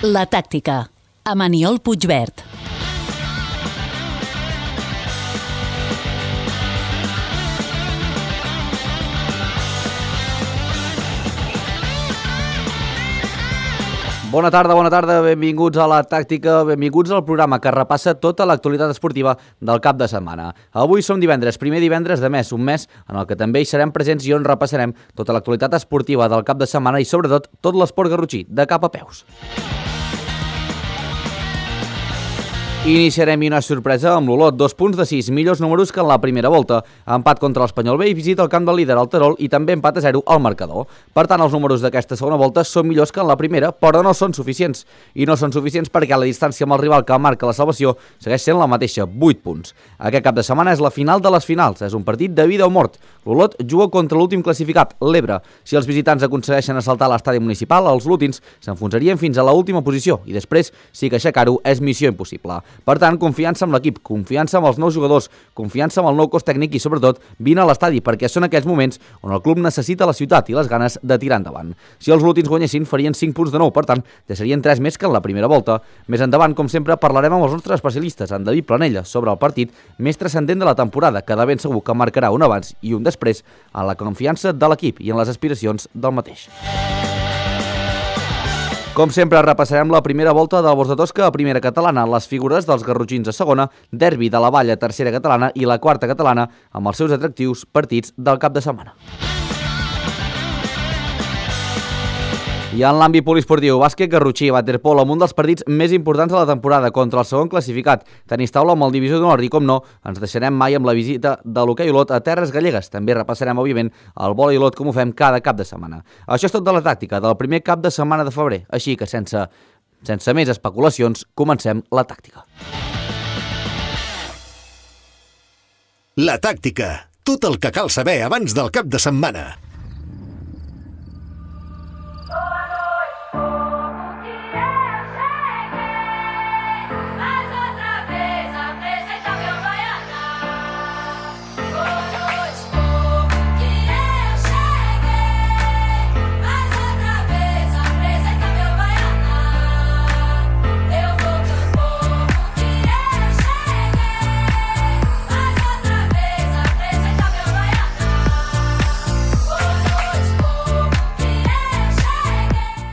La tàctica, amb Aniol Puigvert. Bona tarda, benvinguts a La Tàctica, benvinguts al programa que repassa tota l'actualitat esportiva del cap de setmana. Avui som divendres, primer divendres de mes, un mes en el que també hi serem presents i on repassarem tota l'actualitat esportiva del cap de setmana i sobretot tot l'esport garrotxí, de cap a peus. Iniciarem una sorpresa amb l'Olot, 2 punts de 6, millors números que en la primera volta. Empat contra l'Espanyol B i visita el camp del líder, el Terol, i també empat a 0 al marcador. Per tant, els números d'aquesta segona volta són millors que en la primera, però no són suficients. I no són suficients perquè la distància amb el rival que marca la salvació segueix sent la mateixa, 8 punts. Aquest cap de setmana és la final de les finals, és un partit de vida o mort. L'Olot juga contra l'últim classificat, l'Ebre. Si els visitants aconsegueixen assaltar l'estadi municipal, els lutins s'enfonsarien fins a l'última posició i després sí que aixecar-ho és missió impossible. Per tant, confiança amb l'equip, confiança amb els nous jugadors, confiança amb el nou cos tècnic i, sobretot, vine a l'estadi, perquè són aquells moments on el club necessita la ciutat i les ganes de tirar endavant. Si els lutins guanyessin, farien 5 punts de nou, per tant, ja serien 3 més que en la primera volta. Més endavant, com sempre, parlarem amb els nostres especialistes, en David Planella, sobre el partit més transcendent de la temporada, que de ben segur que marcarà un abans i un després en la confiança de l'equip i en les aspiracions del mateix. Com sempre, repassarem la primera volta del Bos de Tosca a primera catalana, les figures dels garrotxins a segona, derbi de la Vall a tercera catalana i la quarta catalana amb els seus atractius partits del cap de setmana. I en l'àmbit poliesportiu, bàsquet, garrotxí, waterpolo, amb un dels partits més importants de la temporada contra el segon classificat. Tenis taula amb el Divisió d'Honor i, com no, ens deixarem mai amb la visita de l'hoquei Olot a Terres Gallegues. També repassarem, òbviament, el vòlei Olot com ho fem cada cap de setmana. Això és tot de la tàctica del primer cap de setmana de febrer. Així que, sense més especulacions, comencem la tàctica. La tàctica. Tot el que cal saber abans del cap de setmana.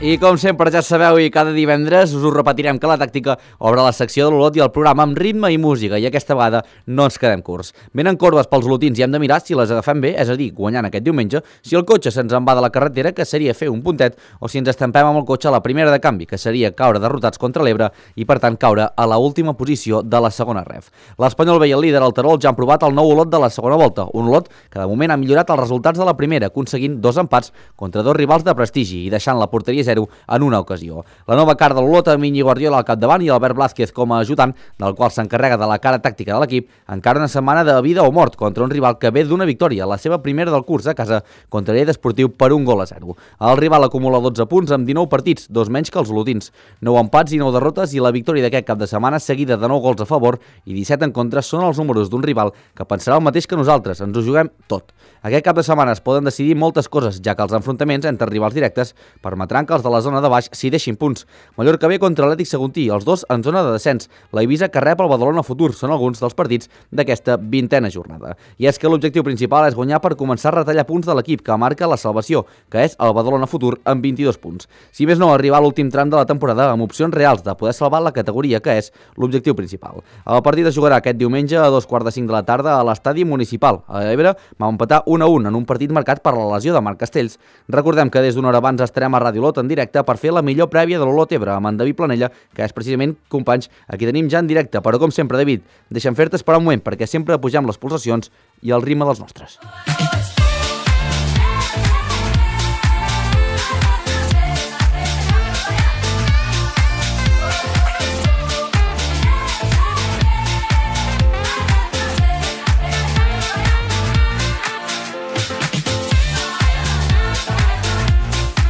I com sempre ja sabeu i cada divendres us ho repetirem que la tàctica obre la secció de l'Olot i el programa amb ritme i música i aquesta vegada no ens quedem curts. Venen corbes pels olotins i hem de mirar si les agafem bé, és a dir, guanyant aquest diumenge, si el cotxe se'ns en va de la carretera, que seria fer un puntet, o si ens estampem amb el cotxe a la primera de canvi, que seria caure derrotats contra l'Ebre i per tant caure a la última posició de la segona ref. L'Espanyol B i el líder, el Terol, ja han provat el nou Olot de la segona volta, un Olot que de moment ha millorat els resultats de la primera, aconseguint 2 empats contra 2 rivals de prestigi i deixant la porteria 0 en una ocasió. La nova cara de l'Olot amb Iñigo Guardiola al capdavant i Albert Blázquez com a ajudant, del qual s'encarrega de la cara tàctica de l'equip, encara una setmana de vida o mort contra un rival que ve d'una victòria, la seva primera del curs a casa contra l'Lleida Esportiu per 1-0. El rival acumula 12 punts amb 19 partits, 2 menys que els olotins. 9 empats i 9 derrotes i la victòria d'aquest cap de setmana seguida de 9 gols a favor i 17 en contra són els números d'un rival que pensarà el mateix que nosaltres, ens ho juguem tot. Aquest cap de setmana es poden decidir moltes coses, ja que els enfrontaments entre rivals directes permetran que els de la zona de baix s'hi deixin punts. Mallorca B contra l'Atlètic Saguntí, els dos en zona de descens. La Eivissa que rep el Badalona Futur són alguns dels partits d'aquesta 20a jornada. I és que l'objectiu principal és guanyar per començar a retallar punts de l'equip que marca la salvació, que és el Badalona Futur amb 22 punts. Si més no, arribar a l'últim tram de la temporada amb opcions reals de poder salvar la categoria, que és l'objectiu principal. El partit es jugarà aquest diumenge a 2:45 de la tarda a l'estadi municipal. A l'Ebre va empatar 1-1 en un partit marcat per la lesió de Marc Castells. Recordem que des d'una hora abans estarem a Ràdio Olot en directe per fer la millor prèvia de l'Olot Ebre amb en David Planella, que és precisament, companys, aquí tenim ja en directe. Però com sempre, David, deixa'm fer-te esperar un moment perquè sempre pugem les pulsacions i el ritme dels nostres.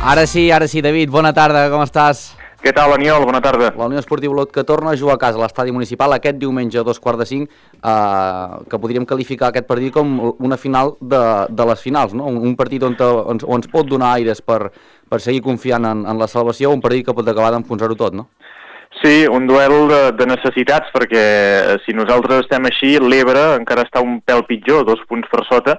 Ara sí, David, bona tarda, com estàs? Què tal, Aniol? Bona tarda. La Unió Esportiva Olot que torna a jugar a casa a l'estadi municipal aquest diumenge a 2:45, que podríem qualificar aquest partit com una final de les finals, no? Un partit on ens pot donar aires per seguir confiant en la salvació, un partit que pot acabar d'enfonsar-ho tot, no? Sí, un duel de necessitats, perquè si nosaltres estem així, l'Ebre encara està un pèl pitjor, 2 punts per sota,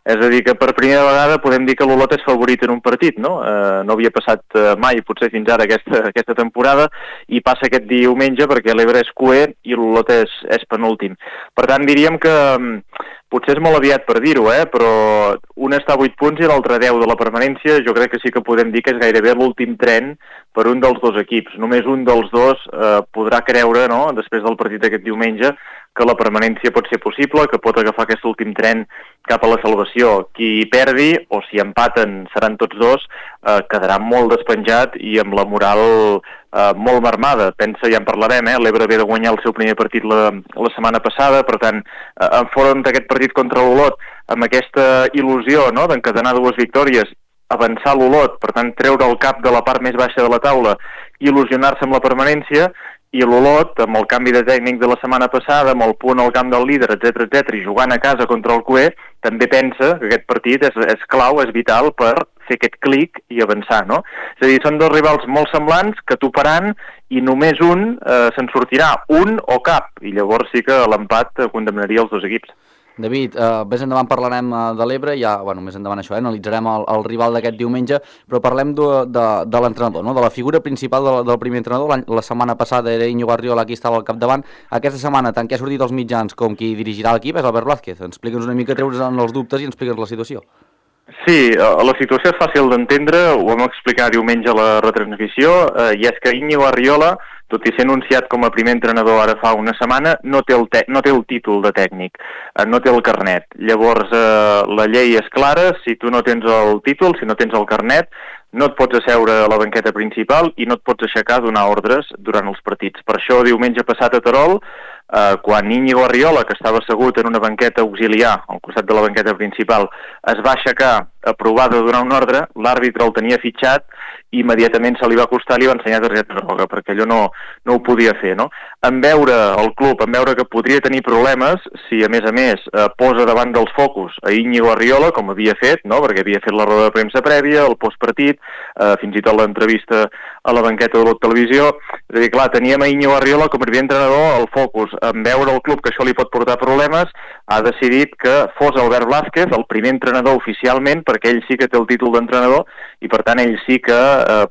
és a dir que per primera vegada podem dir que l'Olot és favorit en un partit, no? No havia passat mai, potser fins ara, aquesta temporada, i passa aquest diumenge perquè l'Ebre és cuer i l'Olot és penúltim. Per tant, diríem que potser és molt aviat per dir-ho, però un està a 8 punts i l'altre 10 de la permanència. Jo crec que sí que podem dir que és gairebé l'últim tren per un dels dos equips. Només un dels dos podrà creure, no?, després del partit d'aquest diumenge, que la permanència pot ser possible, que pot agafar aquest últim tren cap a la salvació. Qui perdi, o si empaten seran tots dos, quedarà molt despenjat i amb la moral molt marmada. Pensa, ja en parlarem, l'Ebre ve de guanyar el seu primer partit la setmana passada, per tant, enfront d'aquest partit contra l'Olot, amb aquesta il·lusió, no?, d'encadenar 2 victòries, avançar l'Olot, per tant, treure el cap de la part més baixa de la taula, il·lusionar-se amb la permanència, i l'Olot, amb el canvi de tècnic de la setmana passada, amb el punt al camp del líder, etc i jugant a casa contra el cuer, també pensa que aquest partit és clau, és vital per fer aquest clic i avançar, no? És a dir, són 2 rivals molt semblants que toparan i només un se'n sortirà, un o cap, i llavors sí que l'empat condemnaria els 2 equips. David, més endavant parlarem de l'Ebre, ja, bueno, més endavant això, analitzarem el rival d'aquest diumenge, però parlem de l'entrenador, no?, de la figura principal del primer entrenador. La setmana passada era Íñigo Arriola qui estava al capdavant. Aquesta setmana, tant que ha sortit als mitjans com qui dirigirà l'equip és Albert Blázquez. Explica'ns una mica, treure's els dubtes i explica'ns la situació. Sí, la situació és fàcil d'entendre, ho vam explicar diumenge a la retransmissió, i és que Íñigo Arriola, tot i ser anunciat com a primer entrenador ara fa una setmana, no té el títol de tècnic, no té el carnet. Llavors, la llei és clara, si tu no tens el títol, si no tens el carnet, no et pots asseure a la banqueta principal i no et pots aixecar a donar ordres durant els partits. Per això, diumenge passat a Terol, quan Íñigo Arriola, que estava assegut en una banqueta auxiliar, al costat de la banqueta principal, es va aixecar a provar de donar una ordre, l'àrbitre el tenia fitxat i immediatament se li va acostar i li va ensenyar targeta groga, perquè allò no ho podia fer, no? En veure el club, en veure que podria tenir problemes, si a més posa davant dels focus a Íñigo Arriola, com havia fet, no?, perquè havia fet la roda de premsa prèvia, el postpartit, fins i tot l'entrevista a la banqueta de la televisió. És a dir, clar, teníem a Íñigo Arriola com a primer entrenador al focus. En veure el club que això li pot portar problemes, ha decidit que fos Albert Blázquez el primer entrenador oficialment, perquè ell sí que té el títol d'entrenador i per tant ell sí que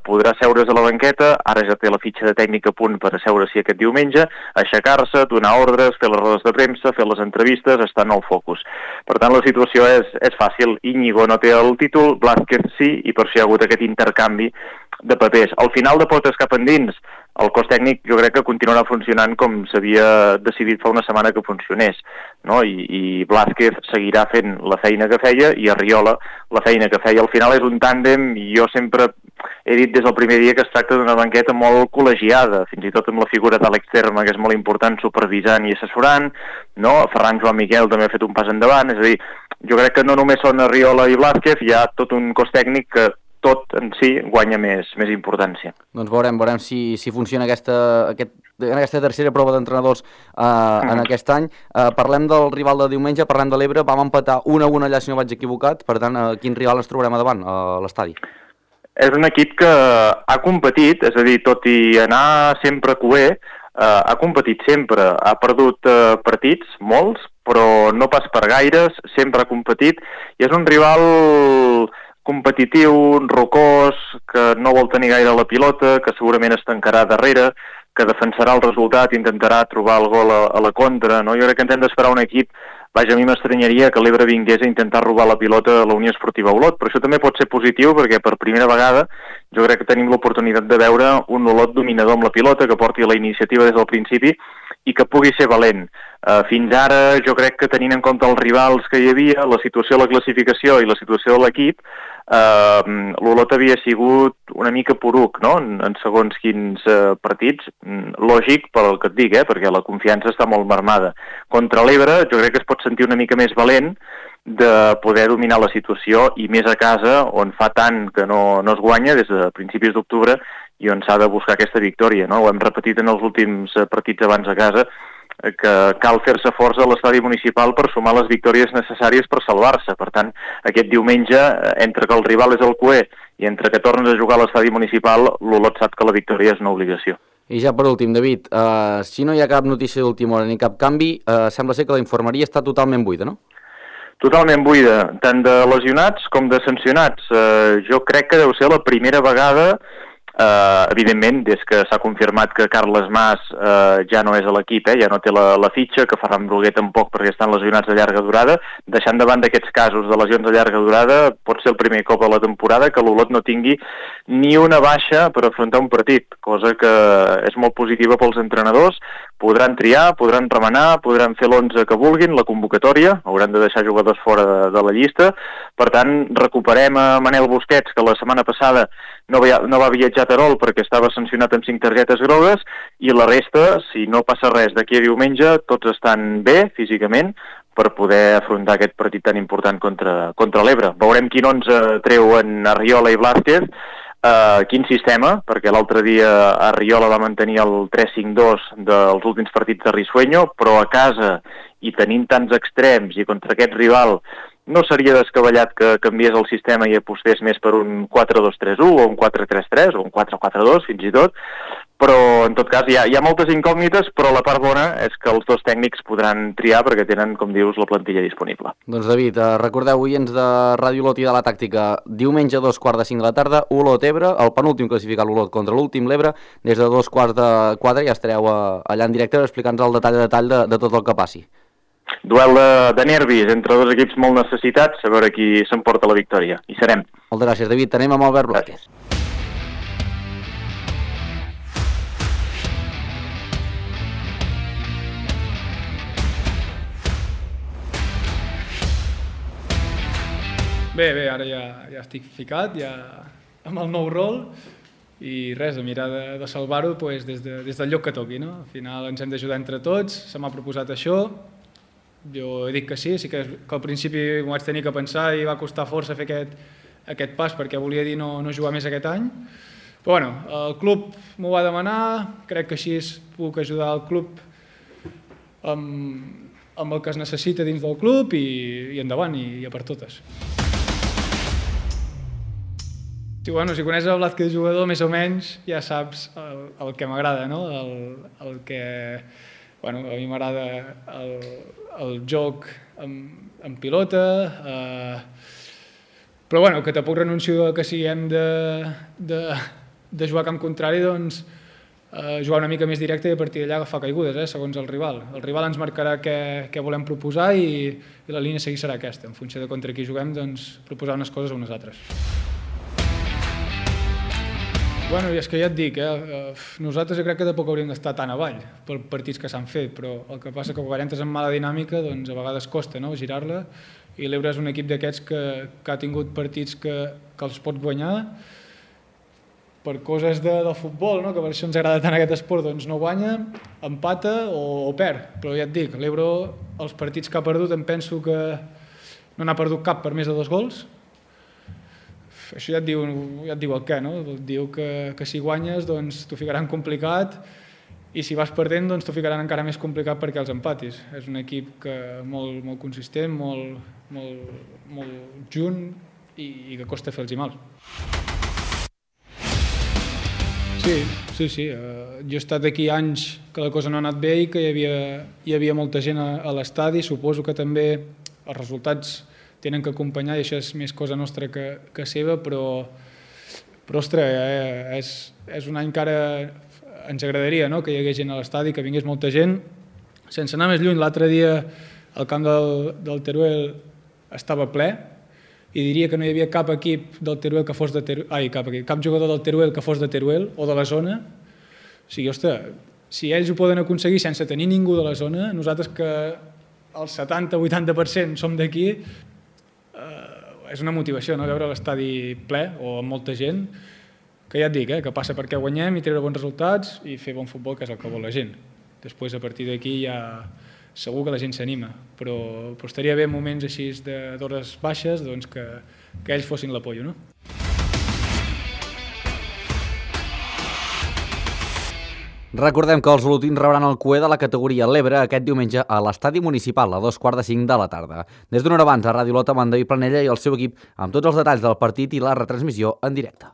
podrà seure's a la banqueta. Ara ja té la fitxa de tècnic a punt per asseure-s'hi aquest diumenge, aixecar-se, donar ordres, fer les rodes de premsa, fer les entrevistes, estar en el focus. Per tant, la situació és fàcil. Íñigo no té el títol, Blázquez sí, i per això hi ha hagut aquest intercanvi de papers. Al final, de portes cap endins, el cos tècnic jo crec que continuarà funcionant com s'havia decidit fa una setmana que funcionés, no? I Blázquez seguirà fent la feina que feia i Arriola la feina que feia. Al final és un tàndem, i jo sempre he dit des del primer dia que es tracta d'una banqueta molt col·legiada, fins i tot amb la figura d'Àlex Terma, que és molt important, supervisant i assessorant, no? Ferran Joan Miquel també ha fet un pas endavant. És a dir, jo crec que no només són Arriola i Blázquez, hi ha tot un cos tècnic que tot en si guanya més importància. Doncs veurem si funciona aquesta tercera prova d'entrenadors en aquest any. Parlem del rival de diumenge, parlem de l'Ebre, vam empatar 1-1 allà si no vaig equivocat, per tant, quin rival ens trobarem a davant a l'estadi? És un equip que ha competit, és a dir, tot i anar sempre cuer, ha competit sempre, ha perdut partits, molts, però no pas per gaires, sempre ha competit, i és un rival competitiu, rocós, que no vol tenir gaire la pilota, que segurament es tancarà darrere, que defensarà el resultat, intentarà trobar el gol a la contra, no? Jo crec que ens hem d'esperar un equip. Vaja, a mi m'estranyaria que l'Ebre vingués a intentar robar la pilota a la Unió Esportiva Olot, però això també pot ser positiu perquè per primera vegada jo crec que tenim l'oportunitat de veure un Olot dominador amb la pilota, que porti la iniciativa des del principi i que pugui ser valent. Fins ara jo crec que tenint en compte els rivals que hi havia, la situació de la classificació i la situació de l'equip, l'Olot havia sigut una mica poruc, no?, en segons quins partits. Lògic pel que et dic, perquè la confiança està molt marmada. Contra l'Ebre jo crec que es pot sentir una mica més valent de poder dominar la situació, i més a casa, on fa tant que no es guanya, des de principis d'octubre, i on s'ha de buscar aquesta victòria, no? Ho hem repetit en els últims partits abans a casa, que cal fer-se força a l'estadi municipal per sumar les victòries necessàries per salvar-se. Per tant, aquest diumenge, entre que el rival és el Cué i entre que tornes a jugar a l'estadi municipal, l'Olot sap que la victòria és una obligació. I ja per últim, David, si no hi ha cap notícia d'última hora ni cap canvi, sembla ser que la infermeria està totalment buida, no? Totalment buida, tant de lesionats com de sancionats. Jo crec que deu ser la primera vegada, evidentment, des que s'ha confirmat que Carles Mas ja no és a l'equip, ja no té la fitxa, que Ferran Bruguer tampoc perquè estan lesionats de llarga durada, deixant davant d'aquests casos de lesions de llarga durada, pot ser el primer cop a la temporada que l'Olot no tingui ni una baixa per afrontar un partit, cosa que és molt positiva pels entrenadors. Podran triar, podran remenar, podran fer l'11 que vulguin, la convocatòria, hauran de deixar jugadors fora de la llista. Per tant, recuperem a Manel Busquets, que la setmana passada no va viatjar a Terol perquè estava sancionat amb 5 targetes grogues, i la resta, si no passa res d'aquí a diumenge, tots estan bé físicament per poder afrontar aquest partit tan important contra l'Ebre. Veurem quin 11 treuen Arriola i Blázquez, quin sistema, perquè l'altre dia Arriola va mantenir el 3-5-2 dels últims partits de Risueño, però a casa i tenint tants extrems i contra aquest rival no seria descabellat que canviés el sistema i apostés més per un 4-2-3-1 o un 4-3-3 o un 4-4-2 fins i tot, però en tot cas hi ha moltes incògnites, però la part bona és que els dos tècnics podran triar perquè tenen, com dius, la plantilla disponible. Doncs David, recordeu, oients de Ràdio Olot i de la Tàctica, diumenge a 2:45 de la tarda, Olot-Ebre, el penúltim classificat l'Olot contra l'últim l'Ebre, des de 3:45 ja estareu allà en directe explicant-nos el detall de tot el que passi. Duel de nervis entre dos equips molt necessitats, a veure qui s'emporta la victòria. Hi serem. Moltes gràcies, David. Anem amb Albert Blázquez. Bé, ara ja estic ficat, ja amb el nou rol, i res, a mirar de salvar-ho des del lloc que toqui, no? Al final ens hem d'ajudar entre tots, se m'ha proposat això, jo he dit que sí que al principi m'ho vaig tenir que pensar i va costar força fer aquest pas perquè volia dir no jugar més aquest any, però bueno, el club m'ho va demanar, crec que així puc ajudar el club amb el que es necessita dins del club i endavant, i a per totes. Si coneixes el Blázquez jugador, més o menys ja saps el que m'agrada, no? El que... a mi m'agrada el joc en pilota, però que tampoc renuncio que si hem de jugar a camp contrari, doncs jugar una mica més directe i a partir d'allà agafar caigudes, segons el rival. El rival ens marcarà què volem proposar i la línia a seguir serà aquesta. En funció de contra qui juguem, doncs proposar unes coses o unes altres. I és que ja et dic, nosaltres jo crec que tampoc hauríem d'estar tan avall per partits que s'han fet, però el que passa que quan entres en mala dinàmica doncs a vegades costa girar-la, i l'Ebre és un equip d'aquests que ha tingut partits que els pot guanyar per coses del futbol, que per això ens agrada tant aquest esport, doncs no guanya, empata o perd, però ja et dic, l'Ebre els partits que ha perdut em penso que no n'ha perdut cap per més de 2 gols. Això ja et diu el què, no? Diu que si guanyes doncs t'ho ficaran complicat i si vas perdent doncs t'ho ficaran encara més complicat perquè els empatis. És un equip molt consistent, molt junt i que costa fer-los mal. Sí. Jo he estat aquí anys que la cosa no ha anat bé i que hi havia molta gent a l'estadi. Suposo que també els resultats tenen que acompanyar i això és més cosa nostra que seva, però ostres, és un any que ara ens agradaria que hi hagués gent a l'estadi, que vingués molta gent. Sense anar més lluny, l'altre dia el camp del Teruel estava ple i diria que no hi havia cap equip del Teruel que fos de Teruel, cap jugador del Teruel que fos de Teruel o de la zona. O sigui, ostres, si ells ho poden aconseguir sense tenir ningú de la zona, nosaltres que el 70-80% som d'aquí, és una motivació, veure l'estadi ple o amb molta gent, que ja et dic, que passa perquè guanyem i treure bons resultats i fer bon futbol, que és el que vol la gent. Després, a partir d'aquí, ja segur que la gent s'anima, però estaria bé en moments així d'hores baixes que ells fossin l'apoyo, no? Recordem que els olotins rebran el cué de la categoria l'Ebre aquest diumenge a l'estadi municipal a 2:45 de la tarda. Des d'una hora abans a Ràdio Olot amb en David Planella i el seu equip amb tots els detalls del partit i la retransmissió en directe.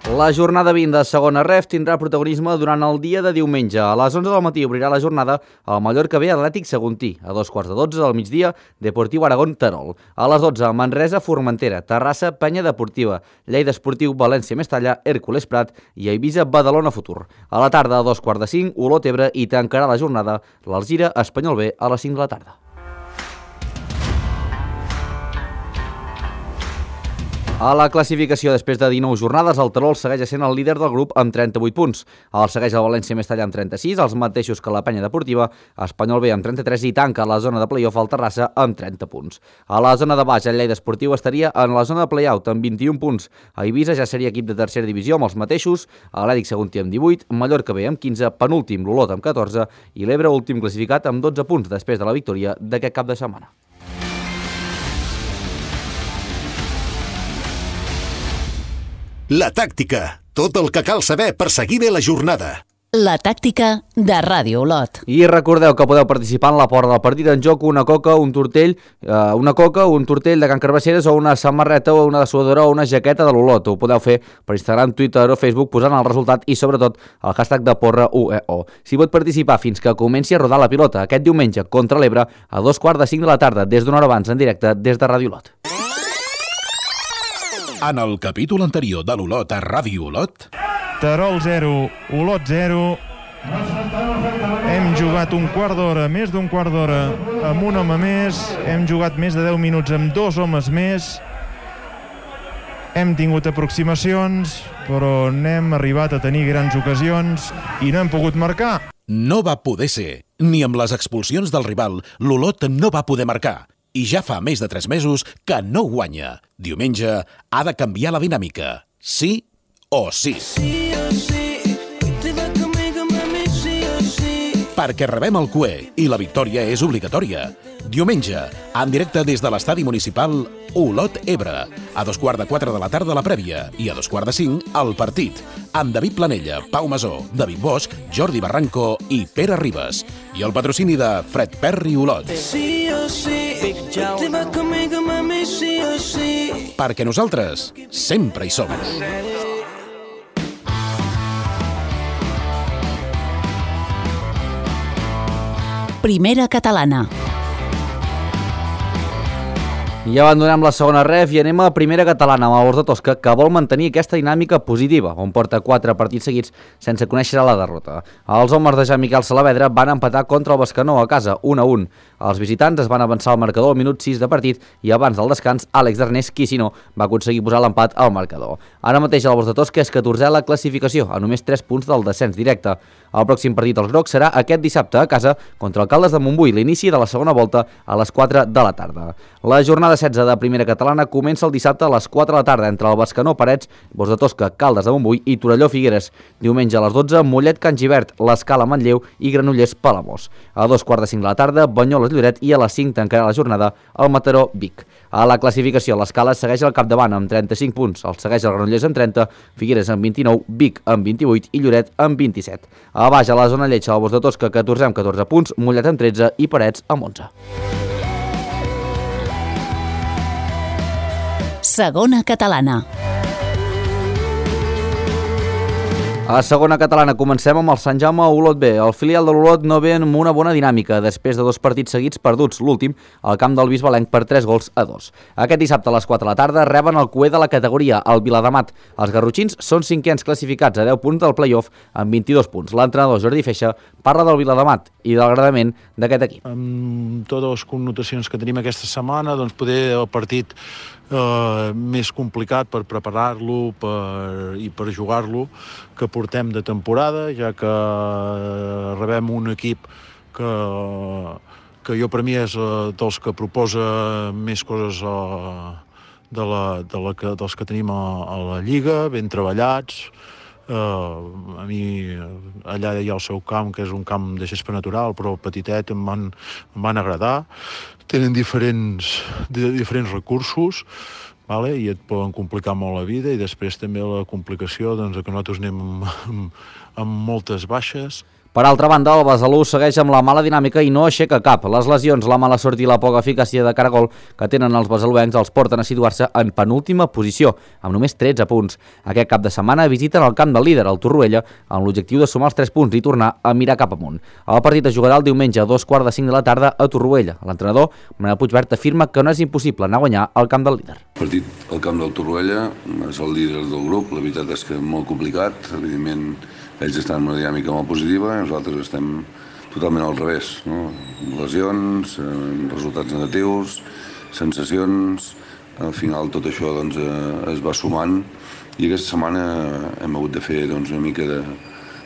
La jornada 20 de segona ref tindrà protagonisme durant el dia de diumenge. A les 11 del matí obrirà la jornada el Mallorca B Atlètic Saguntí. A 2:15 del migdia, Deportiu Aragón Terol. A les 12, Manresa Formentera, Terrassa Penya Deportiva, Lleida Esportiu València Mestalla, Hèrcules Prat i Eivissa Badalona Futur. A la tarda, a 2:45, Olot Ebre i tancarà la jornada l'Alzira Espanyol B a les 5 de la tarda. A la classificació, després de 19 jornades, el Terol segueix sent el líder del grup amb 38 punts. El segueix el València Mestalla amb 36, els mateixos que la Penya Deportiva, Espanyol B amb 33 i tanca la zona de play-off al Terrassa amb 30 punts. A la zona de baix, el Lleida Esportiu estaria en la zona de play-out amb 21 punts. A Eivissa ja seria equip de tercera divisió amb els mateixos, Atlètic Saguntí amb 18, Mallorca B amb 15, penúltim l'Olot amb 14 i l'Ebre últim classificat amb 12 punts després de la victòria d'aquest cap de setmana. La tàctica, tot el que cal saber per seguir bé la jornada. La tàctica de Ràdio Olot. I recordeu que podeu participar en la porra del partit en joc una coca, un tortell de Can Carbasseres o una samarreta o una dessuadora o una jaqueta de l'Olot. Ho podeu fer per Instagram, Twitter o Facebook posant el resultat i sobretot el hashtag de porra UEO. Si pot participar fins que comenci a rodar la pilota aquest diumenge contra l'Ebre a 2:45 de la tarda des d'una hora abans en directe des de Ràdio Olot. En el capítol anterior de l'Olot a Ràdio Olot... Terol 0, Olot 0. Hem jugat un quart d'hora, més d'un quart d'hora, amb un home més. Hem jugat més de 10 minuts amb 2 homes més. Hem tingut aproximacions, però n'hem arribat a tenir grans ocasions i no hem pogut marcar. No va poder ser. Ni amb les expulsions del rival, l'Olot no va poder marcar. I ja fa més de 3 mesos que no guanya. Diumenge ha de canviar la dinàmica. Sí o sí. Perquè rebem el cué i la victòria és obligatòria. Diumenge, en directe des de l'estadi municipal Olot Ebre. A 3:15 de la tarda la prèvia i a 4:45 el partit. Amb David Planella, Pau Masó, David Bosch, Jordi Barranco i Pere Ribas. I el patrocini de Fred Perry Olot. Perquè nosaltres sempre hi som. Primera catalana. I abandonem la segona ref i anem a primera catalana amb el Bors de Tosca, que vol mantenir aquesta dinàmica positiva, on porta 4 partits seguits sense conèixer la derrota. Els homes de Jean-Miquel Salavedra van empatar contra el Bescanó a casa, 1-1. Els visitants es van avançar al marcador al minut 6 de partit i abans del descans, Àlex Darnés Quisino va aconseguir posar l'empat al marcador. Ara mateix el Bors de Tosca és 14è a la classificació, a només 3 punts del descens directe. El pròxim partit dels grocs serà aquest dissabte a casa contra el Caldes de Montbui, l'inici de la segona volta a les 4 de la tarda. La jornada 16 de primera catalana comença el dissabte a les 4 de la tarda entre el Bescanó Parets, Bors de Tosca, Caldes de Montbui i Torelló Figueres. Diumenge a les 12, Mollet Can Givert, l'Escala Manlleu i Granollers Palamós. A 2:45 de la tarda, Banyoles Lloret i a les 5 tancarà la jornada el Mataró Vic. A la classificació, l'Escala segueix al capdavant amb 35 punts, el segueix el Granollers amb 30, Figueres amb 29, Vic amb 28 i Lloret amb 27. A baix, a la zona lletja, el Bors de Tosca, 14 amb 14 punts, Mollet amb 13 i Parets amb 11. Segona catalana. A segona catalana comencem amb el Sant Jaume Olot B. El filial de l'Olot no ve amb una bona dinàmica després de 2 partits seguits perduts, l'últim al camp del Bisbalenc per 3-2. Aquest dissabte a les 4 de la tarda reben el cué de la categoria, el Viladamat. Els garrotxins són 5ens classificats a 10 punts del play-off amb 22 punts. L'entrenador Jordi Feixa parla del Viladamat i del agradament d'aquest equip. Amb totes les connotacions que tenim aquesta setmana, doncs poder el partit més complicat per preparar-lo i per jugar-lo que portem de temporada, ja que rebem un equip que jo per mi és dels que proposa més coses dels que tenim a la Lliga, ben treballats. A mi allà hi ha el seu camp, que és un camp de gespa natural, però petitet, em van agradar. Tenen diferents recursos, vale? I et poden complicar molt la vida, i després també la complicació que nosaltres anem amb moltes baixes. Per altra banda, el Besalú segueix amb la mala dinàmica i no aixeca cap. Les lesions, la mala sort i la poca eficàcia de cara a gol que tenen els besaluencs els porten a situar-se en penúltima posició, amb només 13 punts. Aquest cap de setmana visiten el camp del líder, el Torroella, amb l'objectiu de sumar els 3 punts i tornar a mirar cap amunt. El partit es jugarà el diumenge a 4:45 de la tarda a Torroella. L'entrenador, Manel Puigvert, afirma que no és impossible anar a guanyar al camp del líder. El partit al camp del Torroella és el líder del grup, la veritat és que és molt complicat, evidentment ells estan en una dinàmica molt positiva i nosaltres estem totalment al revés, no? Lesions, resultats negatius, sensacions, al final tot això es va sumant i aquesta setmana hem hagut de fer una mica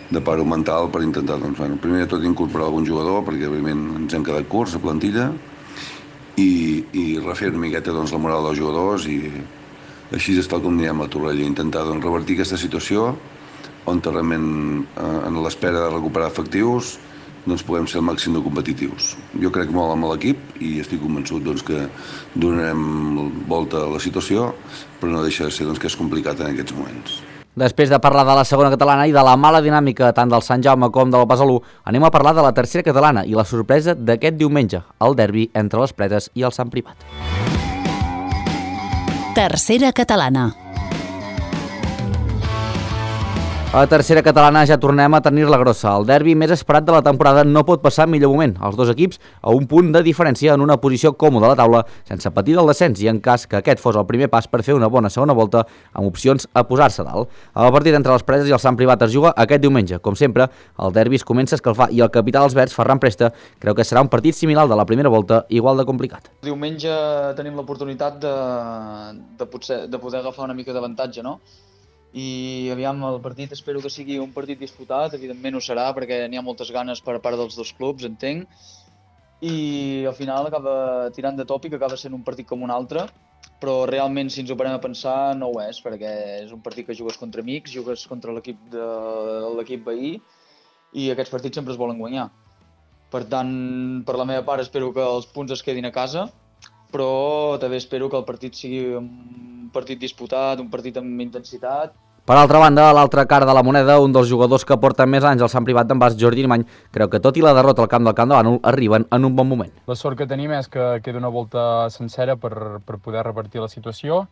de paro mental per intentar, primer de tot incorporar algun jugador, perquè evidentment ens hem quedat curts a plantilla, i refer una miqueta la moral dels jugadors, i així és tal com anirem a Torroella, intentar revertir aquesta situació on realment, en l'espera de recuperar efectius, podem ser el màxim de competitius. Jo crec molt amb l'equip i estic convençut que donarem volta a la situació, però no deixa de ser que és complicat en aquests moments. Després de parlar de la segona catalana i de la mala dinàmica tant del Sant Jaume com del Besalú, anem a parlar de la tercera catalana i la sorpresa d'aquest diumenge, el derbi entre les Pretes i el Sant Privat. Tercera catalana. A tercera catalana ja tornem a tenir-la grossa. El derbi més esperat de la temporada no pot passar millor moment. Els dos equips a un punt de diferència en una posició còmoda a la taula, sense patir del descens i en cas que aquest fos el primer pas per fer una bona segona volta amb opcions a posar-se dalt. El partit entre les Preses i el Sant Privat es juga aquest diumenge. Com sempre, el derbi es comença a escalfar i el capità dels verds, Ferran Presta, creu que serà un partit similar de la primera volta, igual de complicat. Diumenge tenim l'oportunitat de poder agafar una mica d'avantatge, no? I aviam, el partit espero que sigui un partit disputat, evidentment ho serà perquè n'hi ha moltes ganes per part dels dos clubs, entenc, i al final acaba tirant de tòpic, acaba sent un partit com un altre, però realment si ens ho parem a pensar no ho és, perquè és un partit que jugues contra amics, jugues contra l'equip veí i aquests partits sempre es volen guanyar. Per tant, per la meva part espero que els punts es quedin a casa, però també espero que el partit sigui un partit disputat, un partit amb intensitat. Per altra banda, a l'altra cara de la moneda, un dels jugadors que porten més anys al Sant Privat d'en Bas, Jordi Arimany, creu que tot i la derrota al camp del Bànol arriben en un bon moment. La sort que tenim és que queda una volta sencera per poder revertir la situació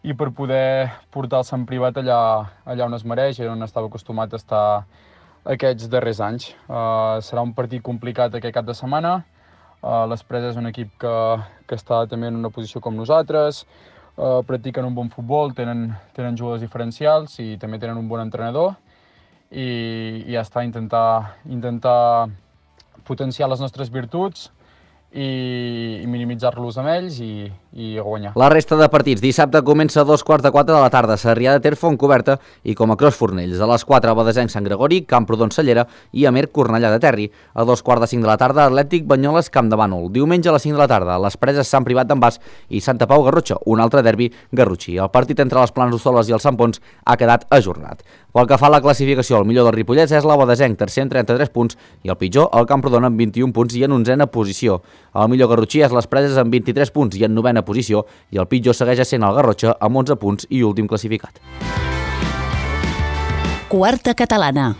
i per poder portar el Sant Privat allà on es mereix i on estava acostumat a estar aquests darrers anys. Serà un partit complicat aquest cap de setmana. Les Preses és un equip que està també en una posició com nosaltres, practiquen un bon futbol, tenen jugadors diferencials i també tenen un bon entrenador i ja està, intentar potenciar les nostres virtuts i minimitzar-los amb ells i guanyar. La resta de partits. Dissabte comença a 3:45 de la tarda, Sarrià de Ter, Fontcoberta i com a Cros Fornells. A les 4, Badesenc, Sant Gregori, Camprodon, Cellera i Amer, Cornellà de Terri. A 2:45 de la tarda, Atlètic, Banyoles, Camp de Bànol. Diumenge a les 5 de la tarda, les Preses, Sant Privat d'en Bas i Santa Pau, Garrotxa, un altre derbi garrotxí. El partit entre les Plans d'Hostoles i el Sant Pons ha quedat ajornat. Pel que fa a la classificació, el millor del Ripollès és la Badesenc, tercer amb 33 punts, i el pitjor, el Camprodon, amb 21 punts i en 11a posició. El millor garrotxí és les Preses amb 23 punts i en 9a posició, i el pitjor segueix sent el Garrotxa amb 11 punts i últim classificat. Quarta catalana.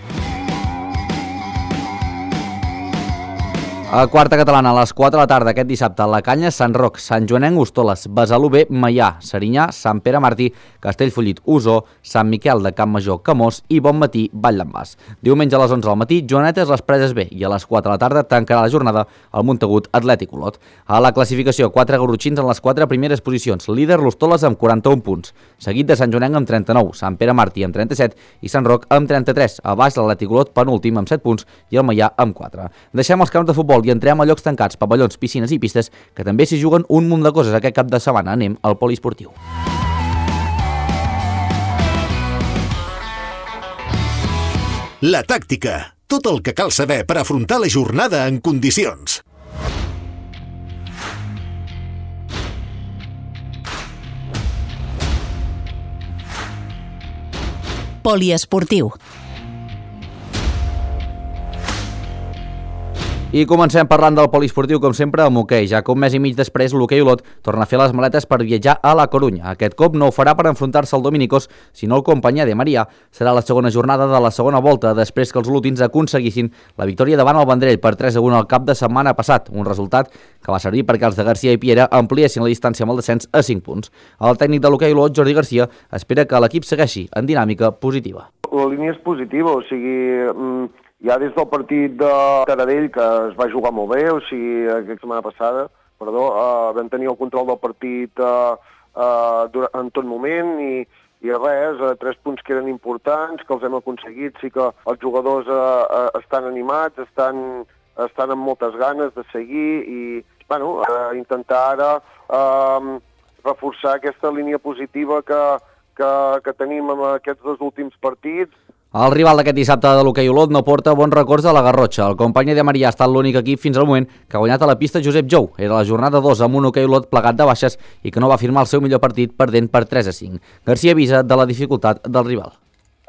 A quarta catalana, a les 4 de la tarda aquest dissabte, La Canya, Sant Roc, Sant Joanenc, Hostoles, Besalú B, Maià, Serinyà, Sant Pere Martí, Castellfollit, Osó, Sant Miquel de Campmajor, Camós i Bon Matí, Vall d'en Bas. Diumenge a les 11 del matí, Joanetes, les Preses B, i a les 4 de la tarda tancarà la jornada el Montagut Atlètic Olot. A la classificació, 4 garrotxins en les 4 primeres posicions, líder l'Hostoles amb 41 punts, seguit de Sant Joanenc amb 39, Sant Pere Martí amb 37 i Sant Roc amb 33, a baix l'Atlètic Olot penúltim amb 7 punts i el Maià amb 4. Deixem els camps de futbol i entrem a llocs tancats, pavellons, piscines i pistes, que també s'hi juguen un munt de coses aquest cap de setmana. Anem al poliesportiu. La tàctica. Tot el que cal saber per afrontar la jornada en condicions. Poliesportiu. I comencem parlant del poliesportiu, com sempre, amb hoquei, ja que un mes i mig després l'hoquei Olot torna a fer les maletes per viatjar a la Corunya. Aquest cop no ho farà per enfrontar-se al Dominicos, sinó al Companyia de Maria. Serà la segona jornada de la segona volta, després que els olotins aconseguissin la victòria davant el Vendrell per 3-1 al cap de setmana passat, un resultat que va servir perquè els de Garcia i Piera ampliessin la distància amb el descens a 5 punts. El tècnic de l'hoquei Olot, Jordi Garcia, espera que l'equip segueixi en dinàmica positiva. La línia és positiva, o sigui, ja des del partit de Taradell, que es va jugar molt bé, o sigui, aquesta setmana passada, vam tenir el control del partit en tot moment i res, 3 punts que eren importants, que els hem aconseguit, sí que els jugadors estan animats, estan amb moltes ganes de seguir i intentar ara reforçar aquesta línia positiva que tenim en aquests 2 últims partits. El rival d'aquest dissabte de l'hoquei Olot no porta bons records de la Garrotxa. El Companyia de Maria ha estat l'únic equip fins al moment que ha guanyat a la pista Josep Jou. Era la jornada 2 amb un hoquei Olot plegat de baixes i que no va firmar el seu millor partit perdent per 3-5. Garcia avisa de la dificultat del rival.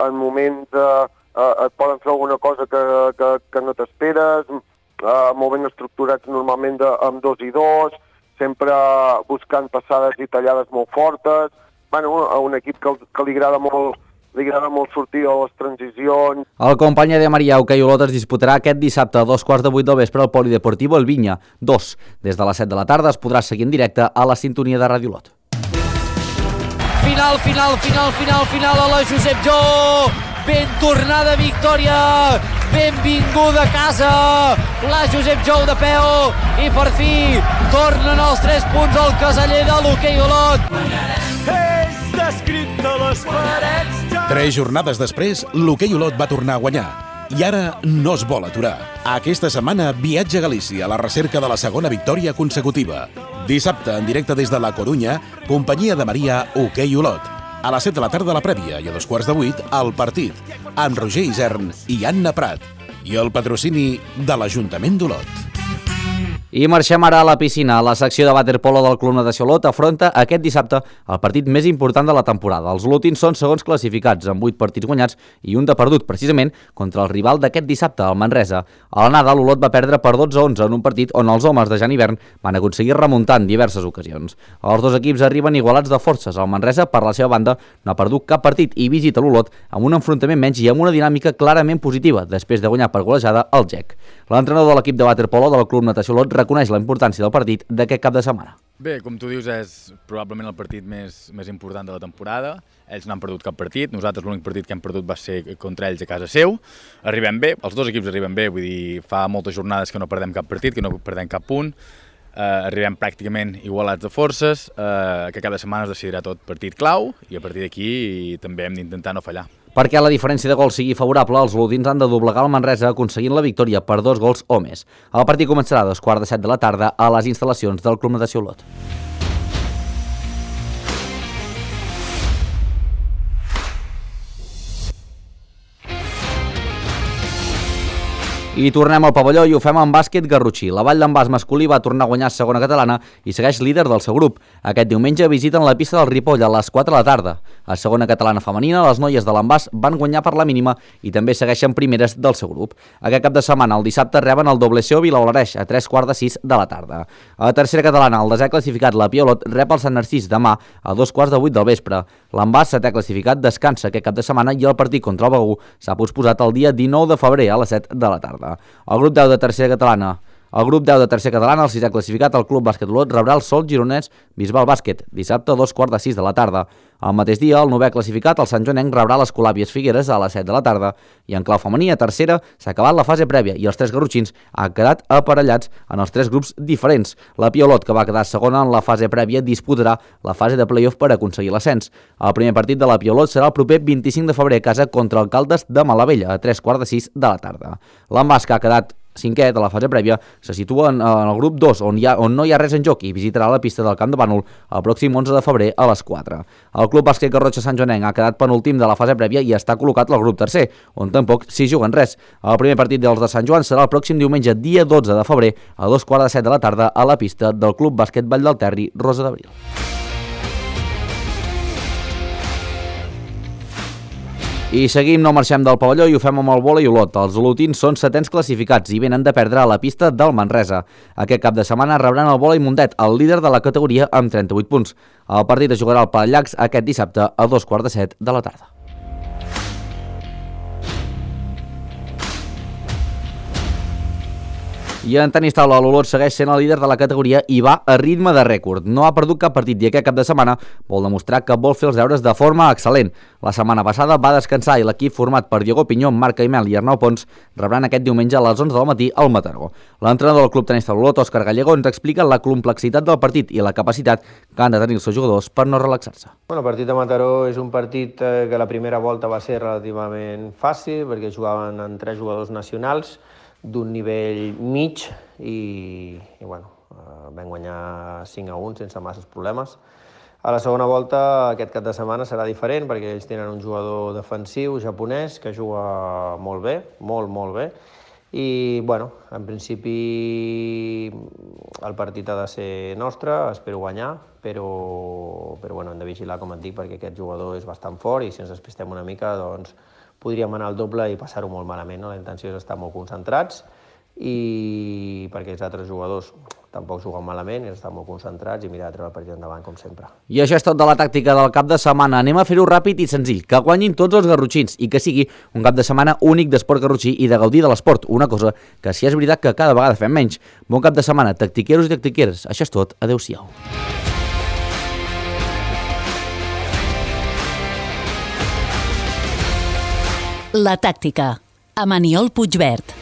En moments et poden fer alguna cosa que no t'esperes, molt ben estructurats normalment amb 2 i 2, sempre buscant passades i tallades molt fortes. A un equip que li agrada molt sortir a les transicions. El Companyia de Maria hoquei Olot es disputarà aquest dissabte a 2:15 del vespre al Polideportivo El Vinya 2. Des de les 7 de la tarda es podrà seguir en directe a la sintonia de Ràdio Olot. Final a la Josep Jou. Ben tornada victòria, benvinguda a casa, la Josep Jou de peu i per fi tornen els 3 punts al caseller de l'hoquei Olot. És descrit a les parets. 3 jornades després, l'hoquei Olot va tornar a guanyar. I ara no es vol aturar. Aquesta setmana viatja a Galícia a la recerca de la segona victòria consecutiva. Dissabte, en directe des de la Corunya, Companyia de Maria, hoquei Olot. A les 7 de la tarda la prèvia i a 7:15 el partit, amb Roger Isern i Anna Prat. I el patrocini de l'Ajuntament d'Olot. I marxem ara a la piscina. La secció de waterpolo del Club Natació Olot afronta aquest dissabte el partit més important de la temporada. Els olotins són segons classificats, amb 8 partits guanyats i un de perdut, precisament contra el rival d'aquest dissabte, el Manresa. A l'anada, l'Olot va perdre per 12-11 en un partit on els homes de Jan Hivern van aconseguir remuntar en diverses ocasions. Els 2 equips arriben igualats de forces. El Manresa, per la seva banda, no ha perdut cap partit i visita l'Olot amb un enfrontament menys i amb una dinàmica clarament positiva, després de guanyar per golejada el GEC. L'entrenador de l'equip de waterpolo del Club Natació Olot reconeix la importància del partit d'aquest cap de setmana. Bé, com tu dius, és probablement el partit més important de la temporada. Ells no han perdut cap partit, nosaltres l'únic partit que hem perdut va ser contra ells a casa seu. Arribem bé, els 2 equips arriben bé, vull dir, fa moltes jornades que no perdem cap partit, que no perdem cap punt. Arribem pràcticament igualats de forces, que cada setmana es decidirà tot partit clau i a partir d'aquí també hem d'intentar no fallar. Perquè la diferència de gols sigui favorable, els olotins han de doblegar el Manresa aconseguint la victòria per 2 gols o més. El partit començarà a 7:15 de la tarda a les instal·lacions del Club Natació Olot. I tornem al pavelló i ho fem amb bàsquet garrotxí. La Vall d'en Bas masculí va tornar a guanyar segona catalana i segueix líder del seu grup. Aquest diumenge visiten la pista del Ripoll a les 4 de la tarda. A segona catalana femenina, les noies de l'Envàs van guanyar per la mínima i també segueixen primeres del seu grup. Aquest cap de setmana, el dissabte, reben el WCO Vilaolareix a 3:15 de la tarda. A la tercera catalana, el desè classificat, la Piolot, rep el Sant Narcís demà a 2:15 del vespre. L'Envàs, setè classificat, descansa aquest cap de setmana i el partit contra el Begur s'ha posposat el dia 19 de febrer a les 7 de la tarda. El grup 10 de tercera catalana, el 6è classificat, el Club Bàsquet Olot, rebrà el Sol Gironès Bisbal Bàsquet, dissabte a 2:15 de la tarda. Al mateix dia, el 9è classificat, el Sant Joanenc, rebrà les Colàbies Figueres a les 7 de la tarda. I en clau femení, a tercera, s'ha acabat la fase prèvia i els 3 garrotxins han quedat aparellats en els 3 grups diferents. La Piolot, que va quedar segona en la fase prèvia, disputarà la fase de play-off per aconseguir l'ascens. El primer partit de la Piolot serà el proper 25 de febrer a casa contra el Caldes de Malavella a 3:15 de la tarda. L'Envàs, que ha quedat 5è de la fase prèvia, se situa en el grup 2, on no hi ha res en joc i visitarà la pista del Camp de Bànol el pròxim 11 de febrer a les 4. El Club Bàsquet Garrotxa Sant Joanenc ha quedat penúltim de la fase prèvia i està col·locat al grup tercer, on tampoc s'hi juguen res. El primer partit dels de Sant Joan serà el pròxim diumenge, dia 12 de febrer, a 2:15 de la tarda a la pista del Club Bàsquet Vall del Terri, Rosa d'Abril. I seguim, no marxem del pavelló i ho fem amb el vòlei Olot. Els olotins són 7ens classificats i venen de perdre a la pista del Manresa. Aquest cap de setmana rebran el vòlei Mundet, el líder de la categoria amb 38 punts. El partit es jugarà al Palallacs aquest dissabte a 7:15 de la tarda. I en tenis taula, l'Olot segueix sent el líder de la categoria i va a ritme de rècord. No ha perdut cap partit i aquest cap de setmana vol demostrar que vol fer els deures de forma excel·lent. La setmana passada va descansar i l'equip format per Diego Pinyó, Marc Caimel i Arnau Pons rebran aquest diumenge a les 11 del matí al Mataró. L'entrenador del club tenis taula Olot, Òscar Gallego, ens explica la complexitat del partit i la capacitat que han de tenir els seus jugadors per no relaxar-se. El partit de Mataró és un partit que la primera volta va ser relativament fàcil perquè jugaven amb 3 jugadors nacionals d'un nivell mig i vam guanyar 5-1 sense masses problemes. A la segona volta, aquest cap de setmana serà diferent perquè ells tenen un jugador defensiu japonès que juga molt bé, molt bé, i en principi el partit ha de ser nostre, espero guanyar, però hem de vigilar, com et dic, perquè aquest jugador és bastant fort i si ens despistem una mica doncs podríem anar al doble i passar-ho molt malament. La intenció és estar molt concentrats i perquè els altres jugadors tampoc juguen malament, és estar molt concentrats i mirar de treure el partit endavant, com sempre. I això és tot de la tàctica del cap de setmana. Anem a fer-ho ràpid i senzill, que guanyin tots els garrotxins i que sigui un cap de setmana únic d'esport garrotxí i de gaudir de l'esport, una cosa que sí és veritat que cada vegada fem menys. Bon cap de setmana, tactiqueros i tactiqueres. Això és tot, adeu-siau. La tàctica, amb Aniol Puigvert.